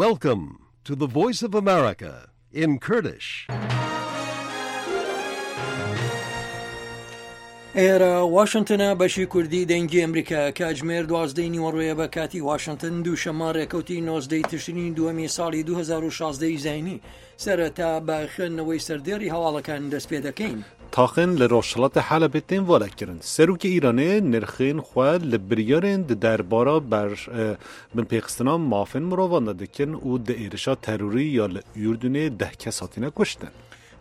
Welcome to the Voice of America in Kurdish. ئێرە واشنتنە بەشی کوردی دەنگی ئەمریکا کاتژمێر دوازدەی نیوەڕۆیە بە کاتی واشنتن دووشەممە ڕێکەوتی نۆزدەی تشرینی دووەمی ساڵی 2016 زینی سەرەتا بە خوێندنەوەی سەردێڕی هەواڵەکان دەست پێ دەکەین. Taxên li rojhilatê Helebê tên valekirin. Serokê Îranê nirxên xwe li biryarên di derbara ber binpêxistina mafên mirovan de dikin û di êrişa terorî ya li Urdunê deh kes hatine kuştin.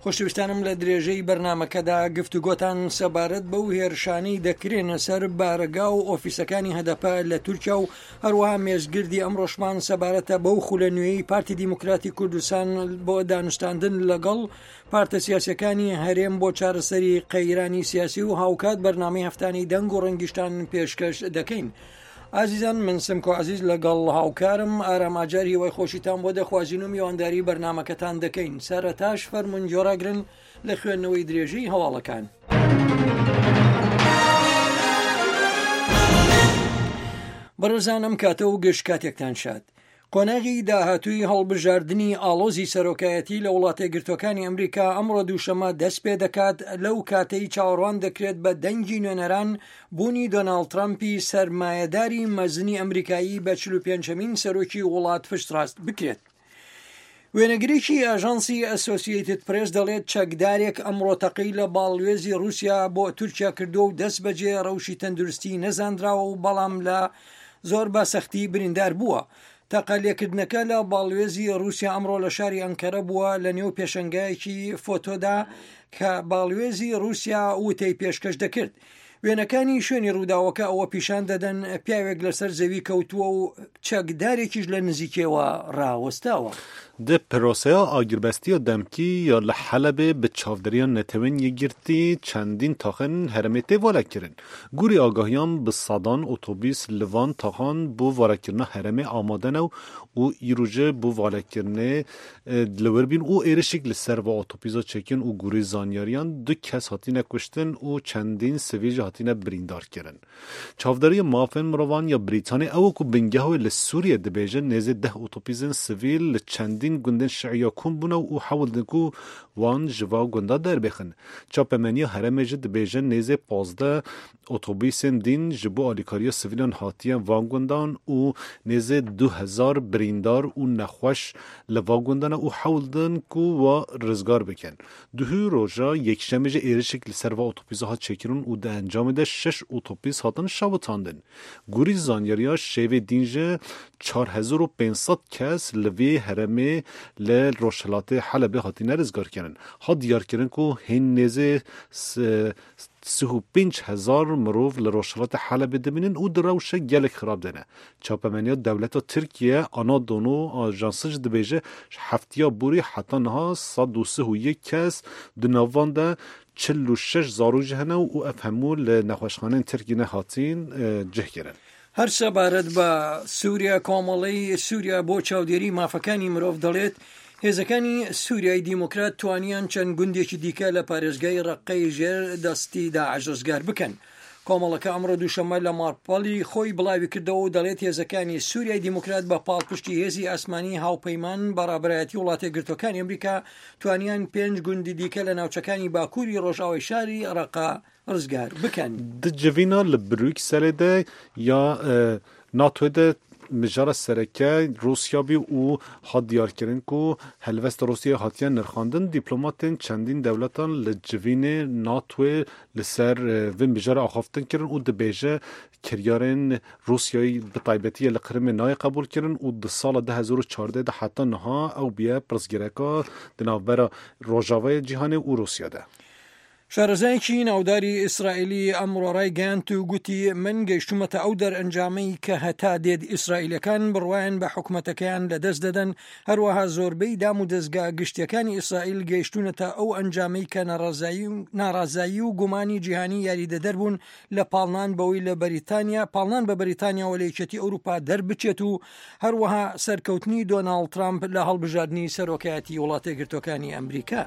خۆشەویستانم لە درێژەی بەرنامەکەدا گفتوگۆتان سەبارەت بەو هێرشانەی دەکرێنە سەر بارەگا و ئۆفیسەکانی هەدەپە لە تورکیا و هەروەها مێزگردی ئەمڕۆشمان سەبارەتە بەو خولە نوێی پارتی دیموکراتی کوردستان بۆ دانوستاندن لەگەڵ پارتە سیاسەکانی هەرێم بۆ چارەسەری قەیرانی سیاسی و هاوکات بەرنامەی هەفتانی دەنگ و ڕەنگیشتان پێشکەش دەکەین. ئازیزان من سمکۆ عزیز لەگەڵ هاوکارم ئارام ئاجار هیوای خۆشیتان بۆ دەخوازین و میوانداری بەرنمەکەتان دەکەین سەرەتاش فەرمونون گۆڕاگرن لە خوێندنەوەی درێژەی هەواڵەکان. بەڕێزان ئەم کاتە و گشت کاتێکتان شاد. قۆناغی داهاتووی هەڵبژاردنی ئاڵۆزی سەرۆکایەتی لە وڵاتەیەکگرتووەکانی ئەمریکا ئەمڕۆ دووشەممە دەست پێ دەکات لەو کاتەی چاوەڕوان دەکرێت بە دەنگی نوێنەران بوونی دۆناڵد ترەمپی سەرمایەداری مەزنی ئەمریکایی بە 45مین سەرۆکی وڵات پشتڕاست بکرێت. وێنەگرێکی ئاژانسی ئەسۆسیەیتد پرێس دەڵێت چەکدارێک ئەمڕۆ تەقەی لە باڵوێزی رووسیا بۆ تورکیا کردووە و دەست بەجێ ڕەوشی تەندروستی نەزانراوە و بەڵام لە زۆر بە سەختی بریندار بووە. تەقە لێکردنەکە لە باڵوێزی رووسیا ئەمڕۆ لە شاری ئەنکەرە بووە لە نێو پێشەنگایەکی فۆتۆدا کە باڵوێزی رووسیا وتەی پێشکەش دەکرد. وێنەکانی شوێنی ڕووداوەکە ئەوە پیشان دەدەن پیاوێک لەسەر زەوی کەوتووە و چەکدارێکیش لە نزیکیەوە ڕاوەستاوە. Di proseya agirbestiya demkî ya li Helebê bi çavdêriya Netewên Yekgirtî çendîn taxên herêmê tê valekirin. Gorî agahiyan bi sedan otobîs li van taxan bo valekirina herêmê amade ne û îro ji bo valekirinê li wir bîn û êrişek li ser va otobîza çêkin û gorî zanyariyan du kes hatine kuştin û çendîn sivîl jî hatine birîndarkirin. Çavdêriya Mafên Mirovan ya Brîtanê ew e ku bingeha wê li Sûriyê dibêje nêzî deh otobîzên sivîl li çendîn gundên Şiiya kom bûne û hewl didin ku wan ji va gunda derbêxin. Çapemeniya herêmê jî dibêje nêzî 15 otobîsên dîn ji bo alîkariya sivîlan hatiye van gundan û nêzî 2000 birîndar û nexweş li va gundan e û hewl didin ku wa rizgar bikin. Duhû roja Yekşemê jî êrişek li ser va otobîsa hat çêkirin û di encamê de şeş otobîs hatin şewitandin. Gorî zanyariya şêvê dîn ji 4500 kes li vê herêmê li rojhilatê Helebê hatine rizgarkirin. Hat diyarkirin ku hîn nêzî 35 hezar mirov li rojhilatê Helebê dimînin û di rewşek gelek xirab de ne. Çapemeniya dewleta Tirkiye Anadolu Ajansı jî dibêje ji heftiya borî heta niha 131 kes di nav van de 46 zarok jî hene û ev hemû li nexweşxaneyên Tirkiyê nehatîn cih kirin. هەر سەبارەت بە سووریا کۆمەڵەی سووریا بۆ چاودێری مافەکانی مرۆڤ دەڵێت هێزەکانی سووریای دیموکرات توانیان چەند گوندێکی دیکە لە پارێزگای ڕەققەی ژێر دەستی داعش ڕزگار بکەن. کۆمەڵەکە ئەمڕۆ دووشەممە لە ماڵپەڵی خۆی بڵاویکردەوە و دەڵێت هێزەکانی سووریای دیموکرات بە پاڵپشتی هێزی ئاسمانی هاوپەیمان بە ڕابەرایەتی وڵاتەیەکگرتووەکانی ئەمریکا توانیان پێنج گوندی دیکە لە ناوچەکانی باکووری ڕۆژئاوای شاری ڕەققە ڕزگار بکەن. Di civîna li Brukselê de ya NATOyê de mijara sereke Rûsya bî û hat diyarkirin ku helwesta Rûsyayê hatiye nirxandin. Dîplomatên çendîn dewletan li civînê NATOyê li ser vê mijara axaftin kirin û dibêje kiryarên Rûsyayê bi taybetî li Qirimê nayê qebûlkirin û di sala 2014 de heta niha ew bûye pirsgirêka di navbera Rojavayê cîhanê û Rûsya de. شارەزایەکی ناوداری ئیسرائیلی ئەمڕۆ ڕایگەیاند و گوتی من گەیشتومەتە ئەو دەرئەنجامەی کە هەتا دێت ئیسرائیلەکان بڕوایان بە حکومەتەکەیان لەدەست دەدەن، هەروەها زۆربەی دام و دەزگا گشتیەکانی ئیسرائیل گەیشتوونەتە ئەو ئەنجامەی کە ناڕەزایی و گومانی جیهانی یاریدەدەر بوون لە پاڵنان بەوەی لە بەریتانیا پاڵنان بە بەریتانیاوە لە یەکێتی ئەوروپا دەربچێت و هەروەها سەرکەوتنی دۆناڵد ترامپ لە هەڵبژاردنی سەرۆکایەتی وڵاتەیەکگرتووەکانی ئەمریکا.